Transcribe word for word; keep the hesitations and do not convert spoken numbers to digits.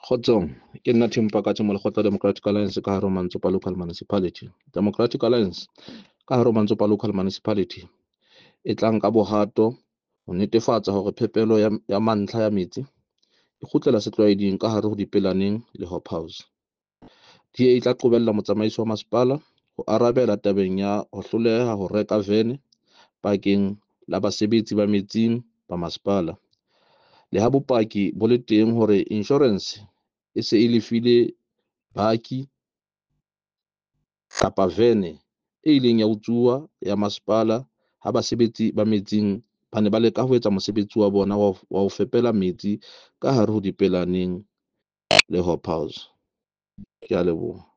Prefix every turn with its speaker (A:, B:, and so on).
A: Kgotsong, ke nna Tim Pakatse Molekgotla Democratic Alliance ka hare ho Mantsopa Local Municipality. Democratic Alliance ka hare ho Mantsopa Local Municipality e tla nka bohato ho netefatsa hore phepelo ya, ya mantlha ya metsi e kgutlela setlwaeding ka hare ho Dipelaneng le Hobhouse. D A e tla qobella motsamaisi wa masepala ho arabela tabeng ya ho hloleha ho reka vene bakeng la basebetsi ba metsing ba masepala. Le ha bopaki bo le teng hore insurance e se e lefile baki kapa vene e ileng ya utsuwa ya masepala ha basebetsi ba metsing ba ne ba leka ho etsa mosebetsi wa bona wa wa ho fepela metsi ka hare ho Dipelaneng le Hobhouse. Ke a leboha.